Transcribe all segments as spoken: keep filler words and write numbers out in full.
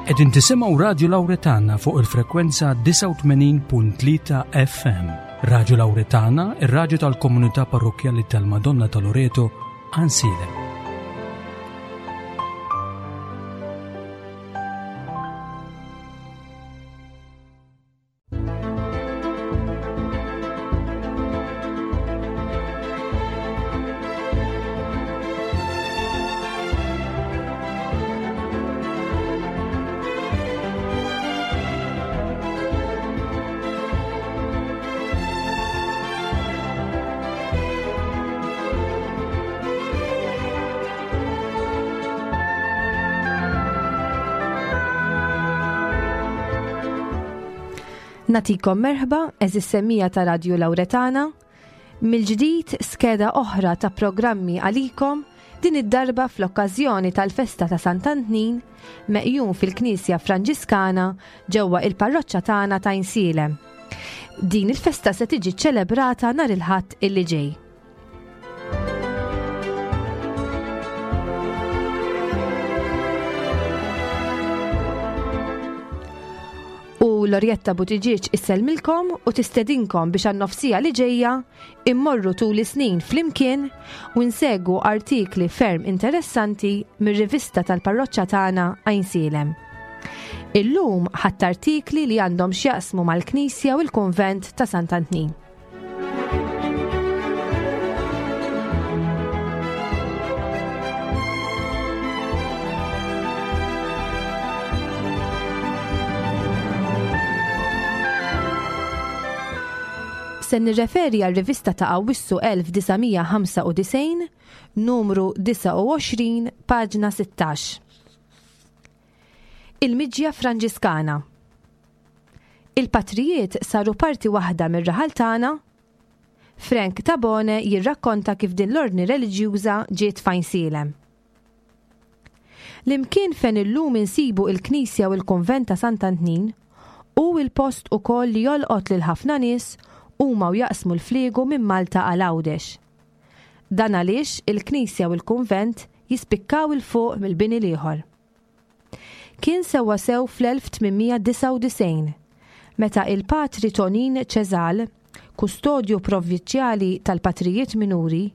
Qegħdin tisimgħu Radju Lawretana fuq il-frekwenza disgħa u tmenin punt tlieta F M. Radju Lawretana, ir-radju tal-Komunità Parrokkjali tal-Madonna ta' Loreto, Għajnsielem. Nagħtikom merħba, għeżież semmiegħa ta' Radju Lawretana, mill-ġdid skeda oħra ta' programmi għalikom, din id-darba fl-okkażjoni tal-festa ta' Sant'Antnin meqjum fil-Knisja Franġiskana ġewwa il-parroċċa tagħna ta' Għajnsielem. Din il-festa se tiġi ċelebrata nhar il-Ħadd illi ġej. U Lorjetta Buttigieg issellmilkom u tistedinkom biex għan-nofs siegħa li ġejja immorru tul is-snin flimkien u nsegwu artikli ferm interessanti mir-rivista tal-parroċċa tagħna Għajnsielem. Illum ħadt artikli li għandhom x'jaqsmu mal-Knisja u l-Kunvent ta' Sant'Antnin. Se nirreferi għal rivista ta' Awwissu elf disa' mija ħamsa u disgħin, numru disgħa u għoxrin, paġna sittax. Il-Miġja Franġiskana. Il-patrijiet saru parti waħda mir-raħal tagħna. Frank Tabone jirrakkonta kif din l-ordni reliġjuża ġiet f'Għajnsielem. L-imkien fejn illum insibu il-Knisja u l-Kunvent ta' Sant'Antnin u il-post ukoll li jolqot lil ħafna nies huma u jaqsmu l-fliegu minn Malta għal Għawdex. Dan għaliex il-Knisja u l-Kunvent jispikkaw 'il fuq mill-bini l-ieħor. Kien sewwa sew fl-elf tmien mija disgħa u disgħin meta il-Patri Tonin Ċeżal, kustodju provvinċjali tal-Patrijiet Minuri,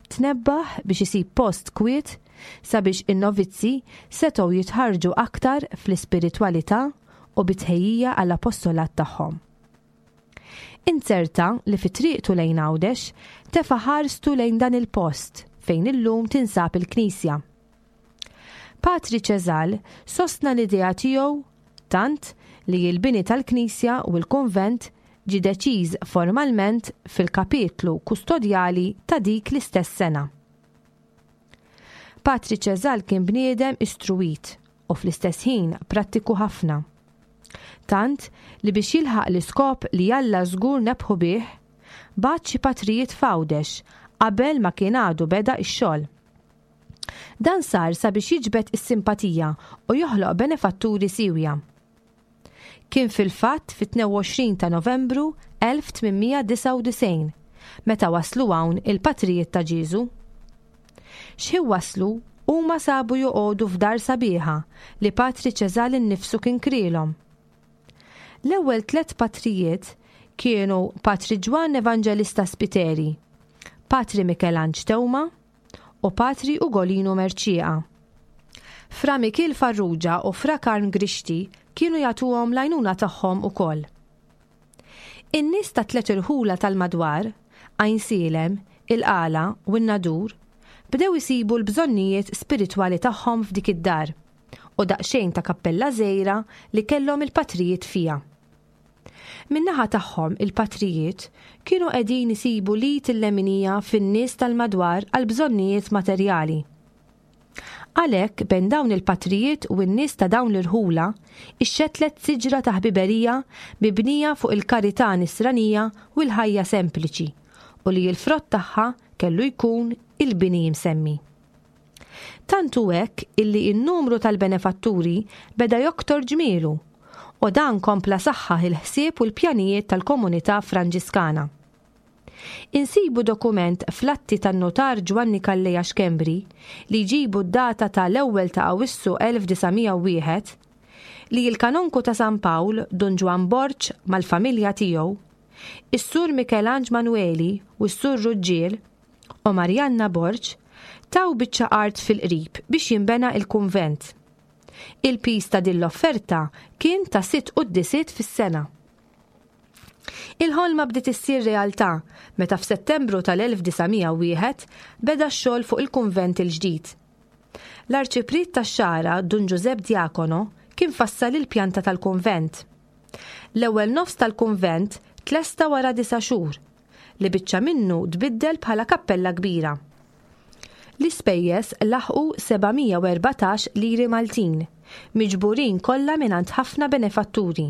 tnebbaħ biex isib post kwiet sabiex in-novizzi setgħu jitħarġu aktar fl-ispiritwalità u bit-tħejjija għall-apostolat tagħhom. Inzerta li fi triqtu lejn Għawdex tefa' ħarstu lejn dan il-post fejn illum tinsab il-Knisja. Patri Ċeżal sostna l-idea tiegħu tant li l-bini tal-Knisja u l-konvent ġi deċiż formalment fil-kapitlu kustodjali ta' dik l-istess sena. Patri Ċeżal kien bniedem istruwit u fl-istess ħin prattiku ħafna. Tant li biex jilħaq l-iskop li Alla żgur nebbħu bih, bagħat xi patrijiet f'Għawdex qabel ma kien għadu beda x-xogħol. Dan sar sabiex jiġbed is-simpatija u joħloq benefatturi siwja. Kien fil-fatt fit-tnejn u għoxrin ta' Novembru elf tmien mija disgħa u disgħin meta waslu hawn il-patrijiet ta' Ġieżu. X'ħin waslu, huma sabu joqogħdu f'dar sabiħa li Patri Ċeżal innifsu kien krielhom. L-ewwel tliet patrijiet kienu Patri Ġwann Evangelista Spiteri, Patri Mikelanġ Teuma u Patri Ugolino Mercieca. Fra Mikil Farrugia u Fra Karm Grixti kienu jagħtuhom l-għajnuna tagħhom ukoll. In-nies ta' tliet irħula tal-madwar, Għajnsielem, il-Qala u n-Nadur, bdew isibu l-bżonnijiet spiritwali tagħhom f'dik id-dar u daqsxejn ta' kappella żgħira li kellhom il-patrijiet fija. Min-naħa tagħhom, il-patrijiet kienu qegħdin isibu l-id il-leminija fin-nies tal-madwar għal bżonnijiet materjali. Għalhekk, bejn dawn il-patrijiet u n-nies ta' dawn l-irħula ixxetlet siġra ta' ħbiberija mibnija fuq il-karità nisranija u l-ħajja sempliċi u li l-frott tagħha kellu jkun il-bini msemmi. Tant hu hekk illi n-numru tal-benefatturi beda joktor ġmielu u dan kompla saħħaħ il-ħsieb u l-pjanijiet tal-komunità Franġiskana. Insibu dokument fl-atti tan-notar Ġwanni Calleja Schembri li jġibu d-data tal-ewwel ta' Awissu elf disa' mija u wieħed li l-kanonku ta' San Pawl Dun Ġwann Borg mal-familja tiegħu, is-Sur Michelangelo Manueli u s-Sur Ruġġiel u Marianna Borg taw biċċa art fil-qrib biex jinbena il-kunvent. Il-piż ta' din l-offerta kien ta' sitt quddisiet fis-sena. Il-ħolma bdiet issir realtà meta f'Settembru tal-elf disa' mija u wieħed beda x-xogħol fuq il-kunvent il-ġdid. L-arċipriet tax-Xagħra Dun Giuseppe Diacono kien fassal il-pjanta tal-kunvent. L-ewwel nofs tal-kunvent tlesta wara disa' xhur, li biċċa minnu tbiddel bħala kappella kbira. L-ispejjeż laħqu seba' mija u erbatax liri Maltin, miġburin kollha mingħand ħafna benefatturi.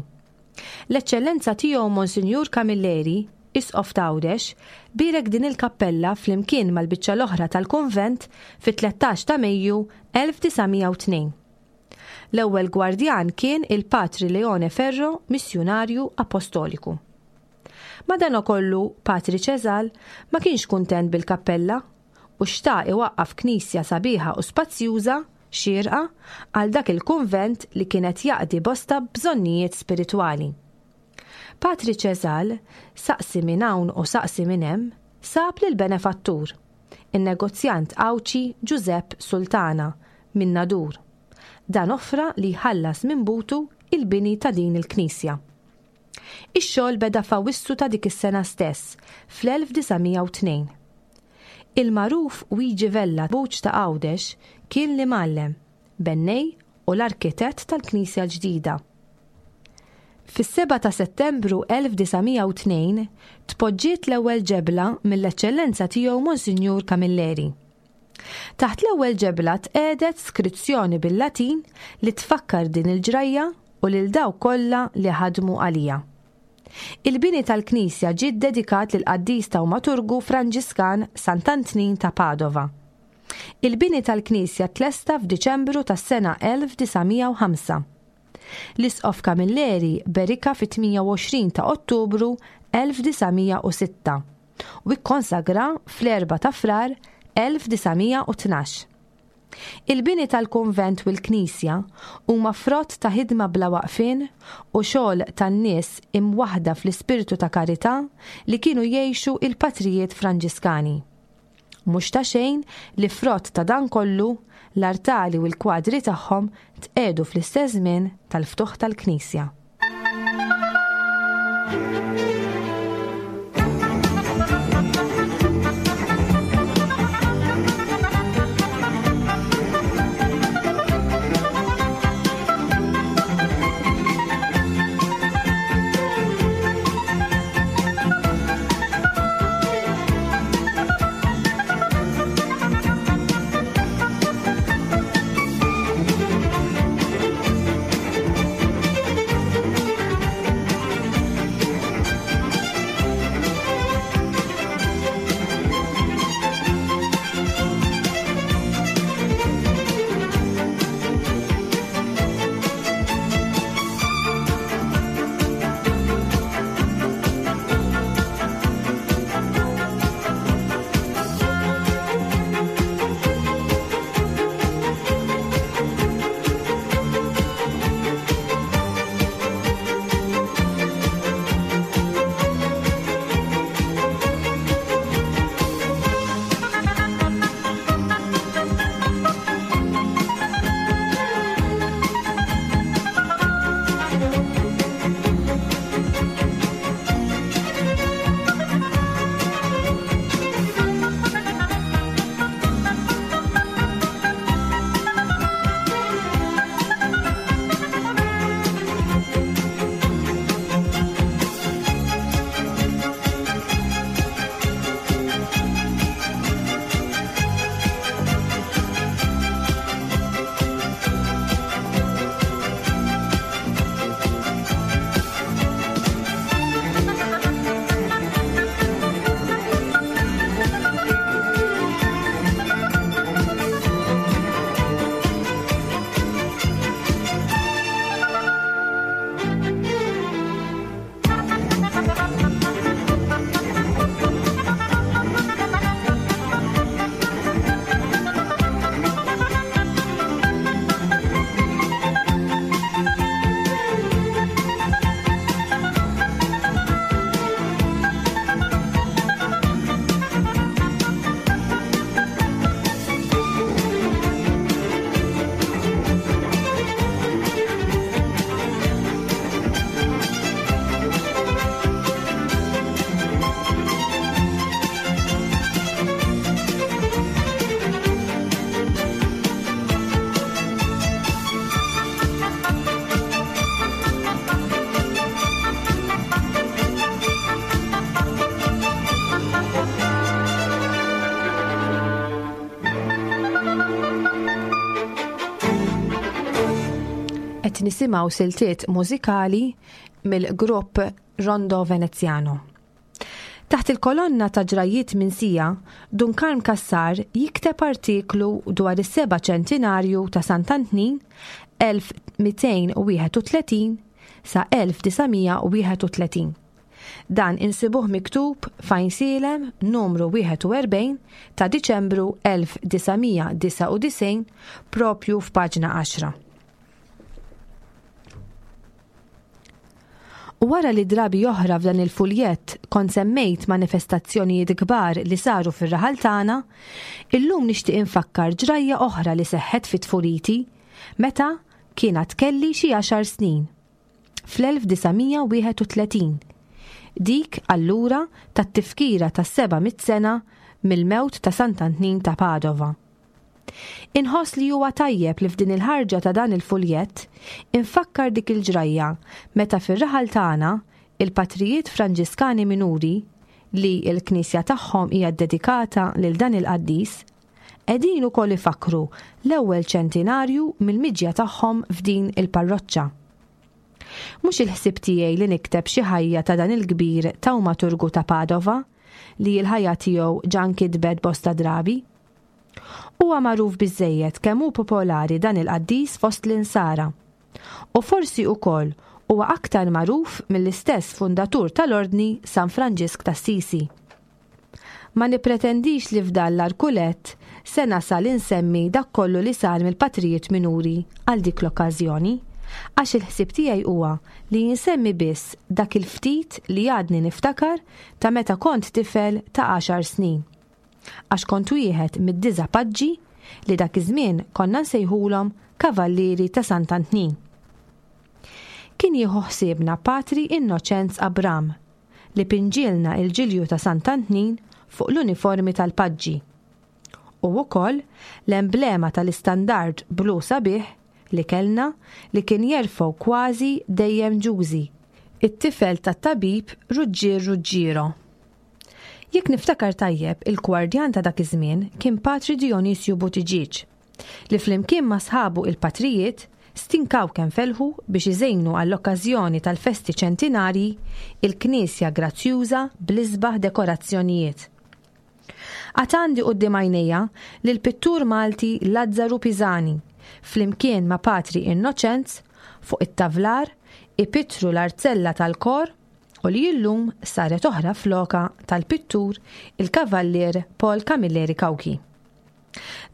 L-Eċċellenza tiegħu Monsinjur Camilleri, Isqof t'Għawdex, bierek din il-kappella flimkien mal-biċċa l-oħra tal-kunvent fit-tlettax ta' Mejju elf disa' mija u tnejn. L-ewwel gwardjan kien il-Patri Leone Ferro, missjunarju apostoliku. Madanakollu, Patri Ċesal ma kienx kuntent bil-kappella u xtaq iwaqqaf knisja sabiħa u spazjuża xierqa għal dak il-kunvent li kienet jaqdi bosta bżonnijiet spiritwali. Patri Ċesal, saqsi minn hawn u saqsi minn hemm, sab lil benefattur, in-negozjant Għawdxi Giuseppe Sultana minn Nadur. Dan offra li jħallas minn butu il-bini ta' din il-knisja. Ix-xogħol beda f'Awwissu ta' dik is-sena stess, fl-elf disa' mija u tnejn. Il-magħruf Luigi Vella Buċ ta' Għawdex kien l-imgħallem, bennej u l-arkitett tal-Knisja l-ġdida. Fis-seba ta' Settembru elf disa' mija u tnejn tpoġġiet l-ewwel ġebla mill-Eċċellenza tiegħu Monsinjur Camilleri. Taħt l-ewwel ġebla tqiegħdet skrizzjoni bil-Latin li tfakkar din il-ġrajja u lil dawk kollha li ħadmu għalija. Il-bini tal-Knisja ġie ddedikat lil qaddis tawmaturgu Franġiskan Sant'Antnin ta' Padova. Il-bini tal-Knisja tlesta f'Diċembru tas-sena elf disa' mija u ħamsa. L-Isqof Camilleri berika fit-tmija u għoxrin ta' Ottubru elf disa' mija u sitta u ikkonsagra fl-erba' ta' Frar elf disa' mija u tnax. Il-bini tal-kunvent u l-Knisja huma frott ta' ħidma bla waqfien u xogħol tan-nies imwaħda fl-ispirtu ta' karità li kienu jgħixu il-patrijiet Franġiskani. Mhux ta' xejn li frott ta' dan kollu l-artali u l-kwadri tagħhom tqiegħdu fl-istess żmien tal-ftuħ tal-Knisja. Qed nisimgħu siltiet mużikali mill-grupp Rondo Veneziano. Taħt il-kolonna ta' ġrajiet minsija, Dun Karm Cassar jikteb artiklu dwar is-seba' ċentinarju ta' Sant'Antnin elf mitejn u wieħed u tletin sa elf disa' mija u wieħed u tletin. Dan insibuh miktub f'Għajnsielem numru wieħed u erbgħin ta' Diċembru elf disa' mija disgħa u disgħin propju f'paġna għaxra. U wara li drabi oħra f'dan il-fuljett kont semmejt manifestazzjonijiet kbar li saru fir-raħal tagħna, illum nixtieq infakkar ġrajja oħra li seħħet fi tfuliti meta kien għad kelli xi għaxar snin, fl-elf disa' mija wieħed u tletin, dik allura tat-tifkira tas-seba' mitt sena mill-mewt ta' Sant'Antnin ta' Padova. Inħoss li huwa tajjeb li f'din il-ħarġa ta' dan il-fuljett infakkar dik il-ġrajja meta fir-raħal tagħna il-patrijiet Franġiskani Minuri, li l-knisja tagħhom hija ddedikata lil dan il-qaddis, qegħdin ukoll ifakkru l-ewwel ċentinarju mill-miġja tagħhom f'din il-parroċċa. Mhux il-ħsieb tiegħi li nikteb xi ħajja ta' dan il-kbir tawmaturgu ta' Padova, li l-ħajja tiegħu ġa nkitbet bosta drabi. Huwa magħruf biżżejjed kemm hu popolari dan il-qaddis fost l-insara. U forsi ukoll huwa aktar magħruf mill-istess fundatur tal-Ordni San Franġisk t'Assisi. Ma nipretendix li f'dan l-arkulett se nasal insemmi dak kollu li sar mill-patrijiet minuri għal dik l-okkażjoni, għax il-ħsieb tiegħi huwa li jinsemmi biss dak il-ftit li għadni niftakar ta' meta kont tifel ta' għaxar snin. Għax kont wieħed mid-disa' paġġi li dak iż-żmien konna nsejħulhom Kavallieri ta' Sant'Antnin. Kien jieħu ħsiebna Patri Innoċenz Abram li pinġilna il-ġilju ta' Sant'Antnin fuq l-uniformi tal-paġġi. U wkoll l-emblema tal-istandard blu sabiħ li kellna li kien jerfgħu kważi dejjem Ġużi, it-tifel tat-tabib Ruġġier Ruġġiero. Jekk niftakar tajjeb, il-gwardjan ta' dak iż-żmien kien Patri Dionisju Buttigieg, li flimkien ma' sħabu il-patrijiet stinkaw kemm felħu biex iżejnu għall-okkażjoni tal-festi ċentinarji il-knisja grazzjuża bl-isbaħ dekorazzjonijiet. Għad għandi quddiem għajnejja li l-pittur Malti Lazzaru Pisani, flimkien ma' Patri Innoċenz, fuq it-tavlar, ipitru l-arzella tal-kor u li illum saret oħra floka tal-pittur il-Kavallier Paul Camilleri Cauchi.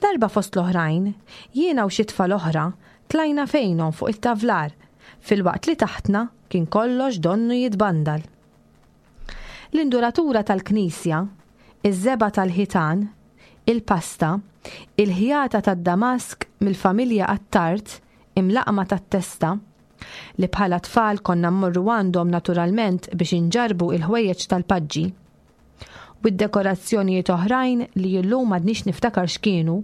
Darba fost l-oħrajn, jiena u xi tfal oħra tlajna fejnhom fuq it-tavlar, filwaqt li taħtna kien kollox donnu jitbandal. L-induratura tal-knisja, iż-żebgħa tal-ħitan, il-pasta, il-ħjata tad-Damask mill-familja Attard imlaqma tat-testa, li bħala tfal konna mmorru għandhom naturalment biex inġarbu il-ħwejjeġ tal-paġġi, u d-dekorazzjonijiet oħrajn li illum m'għadniex niftakar x'kienu,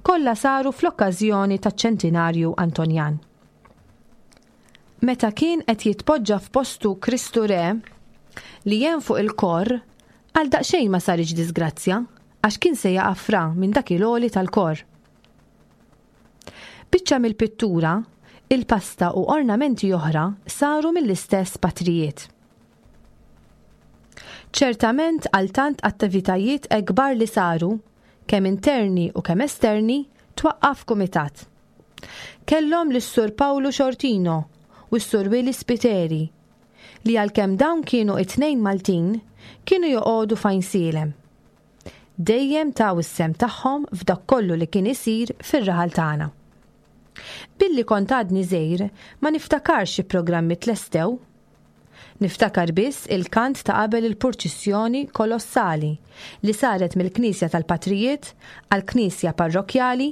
kollha saru fl-okkażjoni taċ-ċentinarju Antonjan. Meta kien qed jitpoġġa f'postu Kristu Re li jen fuq il-kor, għal daqsxejn ma saritx disgrazzja għax kien se jaqa' fra minn dak il-għoli tal-kor. Biċċa mill-pittura, il-pasta u ornamenti oħra saru mill-istess patrijiet. Ċertament għal tant attivitajiet ekbar li saru, kemm interni u kemm esterni, twaqqaf kumitat. Kellhom lis-Sur Paolo Xortino u s-Sur Willy Spiteri, li għalkemm dawn kienu it-tnejn Maltin, kienu joqogħdu f'Għajnsielem. Dejjem taw is-sem tagħhom f'dak kollu li kien isir fir-raħal tagħna. Billi kont għadni żgħir, ma niftakarx xi programmi tlestew. Niftakar biss il-kant ta' qabel il-purċissjoni kolossali li saret mill-Knisja tal-Patrijiet għall-Knisja Parrokkjali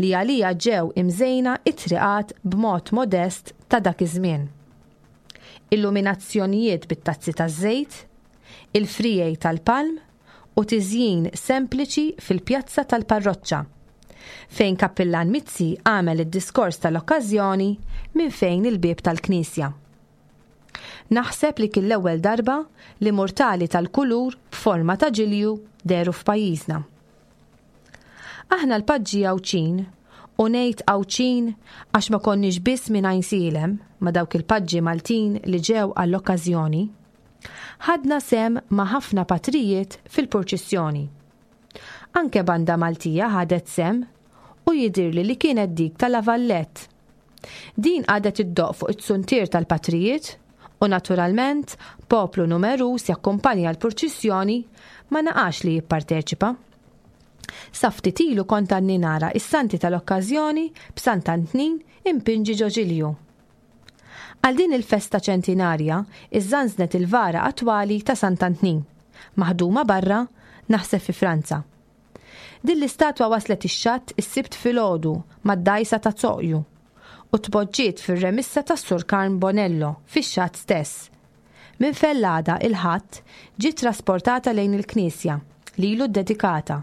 li għalija ġew imżejna it-triqat b'mod modest ta' dak iż-żmien. Illuminazzjonijiet bit-tazzi taż-żejt, il-frijej tal-palm u tiżjin sempliċi fil-pjazza tal-parroċċa, fejn Kappillan Mizzi għamel id-diskors tal-okkażjoni minn fejn il-bieb tal-Knisja. Naħseb li kien l-ewwel darba li murtali tal-kulur b'forma ta' ġilju dehru f'pajjiżna. Aħna l-paġġi Għawdxin U ngħid Għawdxin għax ma konniex biss minn Għajnsielem ma' dawk il-paġġi Maltin li ġew għall-okkażjoni. Ħadna sehem ma' ħafna patrijiet fil-purċissjoni. Anke banda Maltija ħadet sehem u jidhirli li kienet dik ta' La Vallette. Din qagħdet iddoqq fuq it-suntier tal-patrijiet u naturalment poplu numeruż jakkumpanja l-purċissjoni ma naqax li jipparteċipa. Sa ftit ilu kont għadni nara is-santi tal-okkażjoni b'Sant'Antnin impinġi ġo ġilju. Għal din il-festa ċentinarja iżżanżnet il-vara attwali ta' Sant'Antnin, maħduma barra, naħseb fi Franza. Din l-istatwa waslet ix-xatt is-Sibt filgħodu mad-dgħajsa ta' Zoqju u tpoġġiet fir-remissa tas-Sur Karm Bonello fix-xatt stess. Minn fejn l-għada il-Ħadd ġiet trasportata lejn il-knisja lilu ddedikata,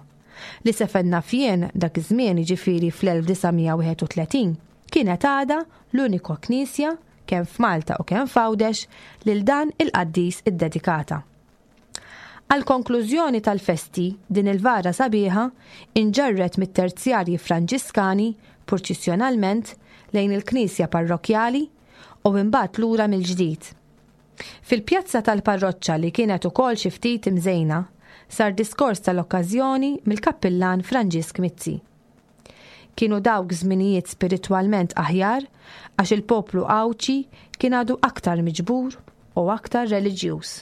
li sa fejn naf jien dak iż-żmien, jiġifieri fl-elf disa' mija wieħed u tletin, kienet għadha l-unika knisja kemm f'Malta u kemm f'Għawdex lil dan il-qaddis iddedikata. Għal konklużjoni tal-festi, din il-vara sabiħa inġarret mit-terzjarji Franġiskani purċissjonalment lejn il-knisja parrokjali u imbagħad lura mill-ġdid. Fil-pjazza tal-parroċċa li kienet ukoll xi ftit imżejna, sar diskors tal-okkażjoni mill-kappillan Franġisk Mizzi. Kienu dawk żminijiet spiritwalment aħjar għax il-poplu Għawdxi kien għadu aktar miġbur u aktar reliġjuż.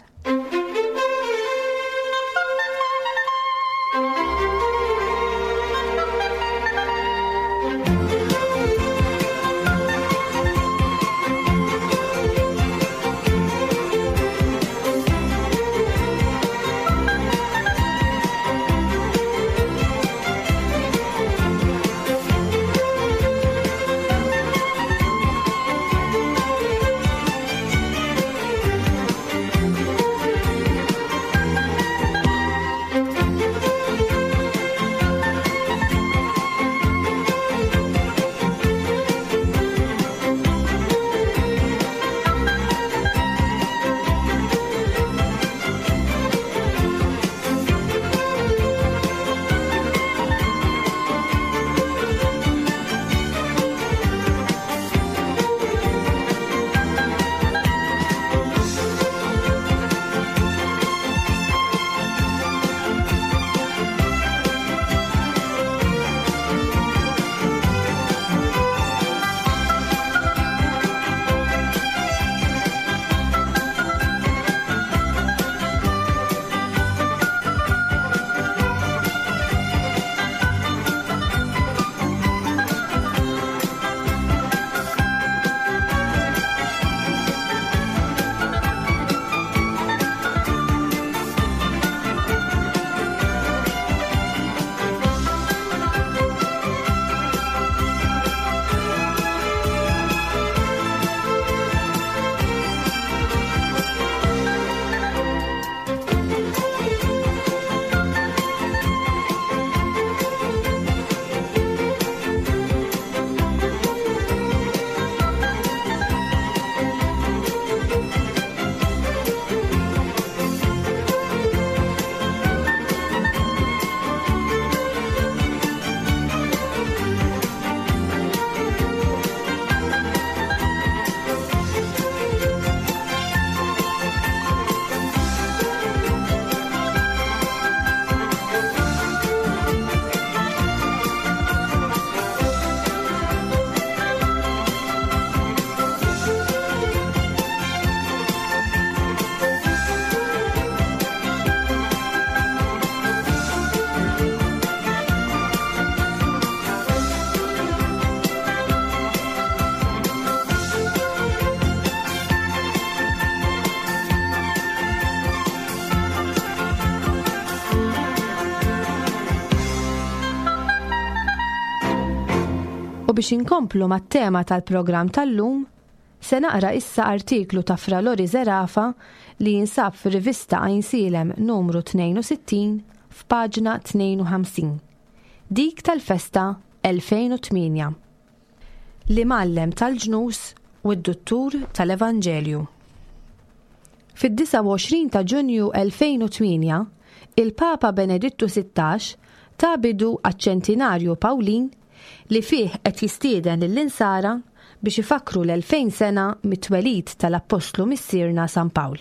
U biex inkomplu mat-tema tal-programm tal-lum, se naqra issa artiklu ta' Fra Lori Zerafa li jinsab fir-rivista Għajnsielem numru tnejn u sittin f'paġna tnejn u ħamsin. Dik tal-festa elfejn u tmienja. L-imgħallem tal-ġnus u d-duttur tal-Evanġelju. Fid-disgħa u għoxrin ta' Ġunju elfejn u tmienja, il-Papa Benedittu sittax ta bidu għaċ-ċentinarju Pawlin li fih qed jistieden lill-insara biex ifakkru l-elfejn sena mit-twelid tal-Appostlu Missierna San Pawl.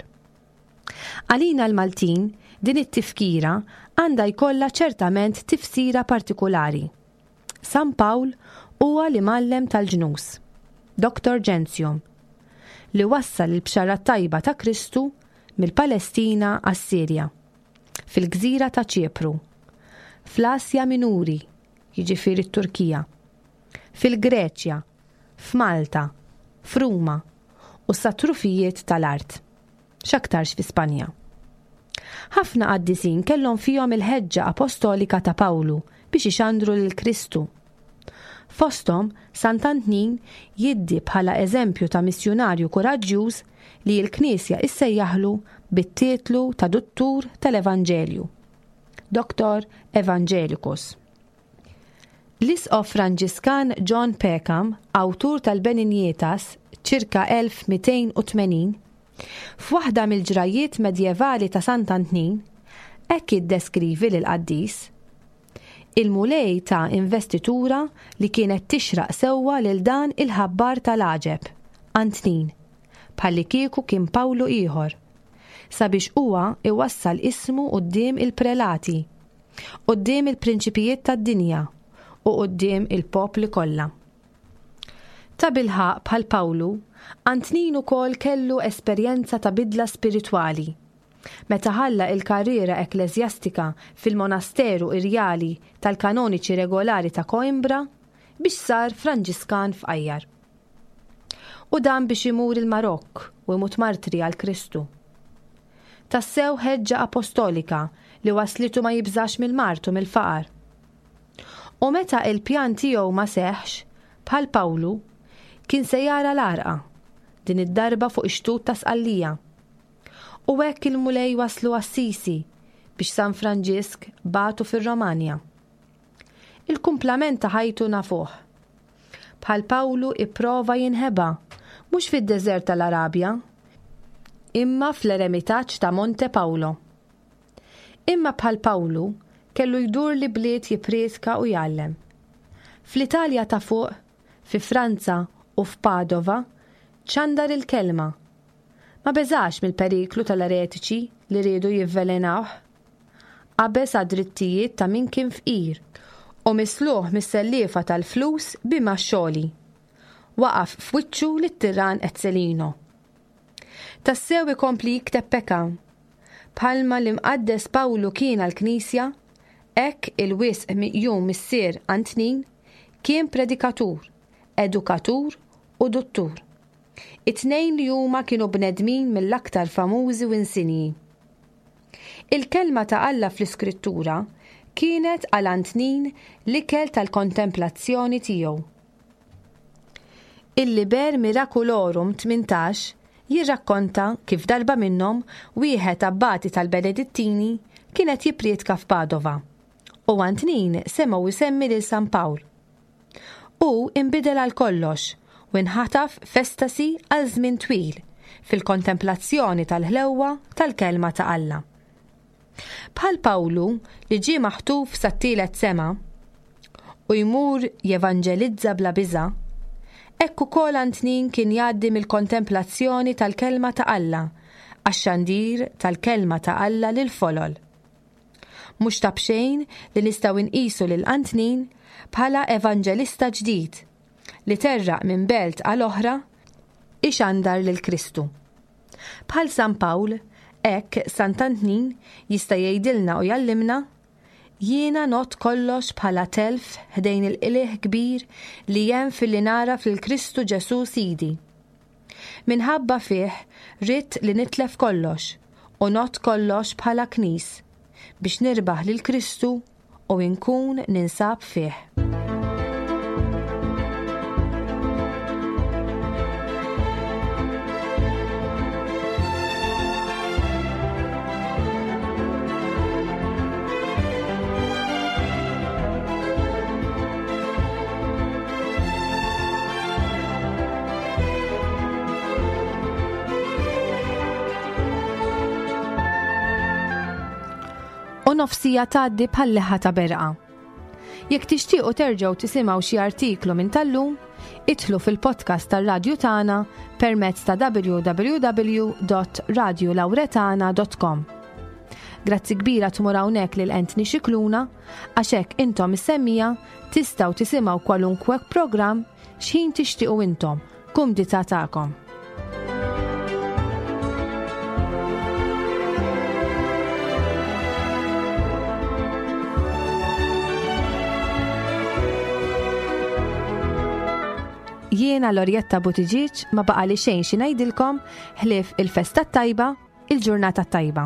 Għalina l-Maltin, din it-tifkira għandha jkollha ċertament tifsira partikulari. San Pawl huwa l-imgħallem tal-ġnus, Doctor Gentium, li wassal il-bxara tajba ta' Kristu mill-Palestina għas-Sirja, fil-gżira ta' Ċipru, fl-Asja Minuri, jiġifieri t-Turkija, fil-Greċja, f'Malta, f'Ruma u sa trufijiet tal-art, x'aktarx fi Spanja. Ħafna qaddisin kellhom fihom il-ħeġġa apostolika ta' Pawlu biex ixandru lil Kristu. Fosthom, Sant'Antnin jiddi bħala eżempju ta' missjunarju kuraġġjuż li l-Knisja issejjaħlu bit-titlu ta' Duttur tal-Evanġelju, Doctor Evangelicus. L-Isqof Franġiskan John Peckham, awtur tal-Benignitas, ċirka elf mitejn u tmenin, f'waħda mill-ġrajiet medjevali ta' Sant'Antnin, hekk jiddeskrivi lill-qaddis. Il-Mulej ta' investitura li kienet tixraq sewwa lil dan il-ħabbar tal-għaġeb, Antnin, bħalli kieku kien Pawlu ieħor, sabiex huwa iwassal ismu quddiem il-prelati, quddiem il-prinċipijiet tad-dinja u quddiem il-popli kollha. Ta' bilħaq bħal Pawlu, Antnin ukoll kellu esperjenza ta' bidla spiritwali. Meta ħalla il-karriera ekkleżjastika fil-monasteru irjali tal-kanoniċi regolari ta' Coimbra biex sar Franġiskan f'Qajjar. U dan biex imur il-Marokk u imut martri għal Kristu. Tassew ħeġġa apostolika li waslitu ma jibżax mill-mard u mill-faqar. U meta il-pjan tiegħu ma seħx, bħal Pawlu, kien se jara l-għarqa, din id-darba fuq ix-xtut ta' Sqallija. U hekk il-Mulej waslu Assisi biex San Franġisk bagħtu fir-Romanja. Il-kumplament ta' ħajtu nafuh. Bħal Pawlu ipprova jinħeba, mhux fid-deżert tal-Arabja, imma fl-eremitaġġ ta' Monte Paulo. Imma bħal Pawlu kellu jdur li bliet jipprietka u jgħallem. Fl-Italja ta' fuq, fi Franza u f'Padova, ċandar il-kelma. Ma beżax mill-periklu tal-eretiċi li riedu jivvelenawh. Qabeż għad-drittijiet ta' min kien fqir u misluħ mis-selliefa tal-flus bima xogħli. Waqaf f'wiċċu lit-tiran Ezzelino. Tassew ikompli jikteb Peckham. Bħalma l-imqaddes Pawlu kien għall-Knisja, hekk il-wisq miqjum missier Antnin kien predikatur, edukatur u duttur. It-tnejn li huma kienu bnedmin mill-aktar famużi u insinji. Il-kelma ta' Alla fl-Iskrittura kienet għal Antnin l-ikel tal-kontemplazzjoni tiegħu. Il-Liber Miraculorum tmintax jirrakkonta kif darba minnhom wieħed abbati tal-Benedittini kienet jipprietka f'Padova u Antnin semgħu jsemmi lil San Pawl. U inbidel għal kollox u nħataf f'estasi għal żmien twil fil-kontemplazzjoni tal-ħlewwa tal-kelma ta' Alla. Bħal Pawlu li ġie maħtuf sat-tielet sema u jmur jevanġelizza bla biża', hekk ukoll Antnin kien jgħaddi mill-kontemplazzjoni tal-kelma ta' Alla għax-xandir tal-kelma ta' Alla lil folol. Mhux ta' b'xejn li nistgħu nqisu lil Antnin bħala evanġelista ġdid li terraq minn belt għal oħra ixandar lil Kristu. Bħal San Pawl, hekk Sant'Antnin jista' jgħidilna u jgħallimna, jiena not kollox bħala telf ħdejn il-qligħ kbir li hemm filli nara fil-Kristu Ġesù Sidi. Minħabba fih ridt li nitlef kollox u not kollox bħala knis biex nirbaħ lil Kristu u nkun ninsab fih. U nofsija tgħaddi bħal leħħa ta' berqa. Jekk tixtiequ terġgħu tisimgħu xi artiklu minn tal-lum, idħlu fil-podcast tar-radju tagħna permezz ta' w w w dot radiolawretana dot com. Grazzi kbira tmur hawnhekk lil Anthony Xikluna, għax hekk intom is-semmiegħa tistgħu tisimgħu kwalunkwe programm x'ħin tixtiequ intom, kumdità tagħkom. Jiena Lorjetta Buttigieg, ma baqa li xejn xi ngħidilkom ħlief il-festa tajba, il-ġurnata tajba.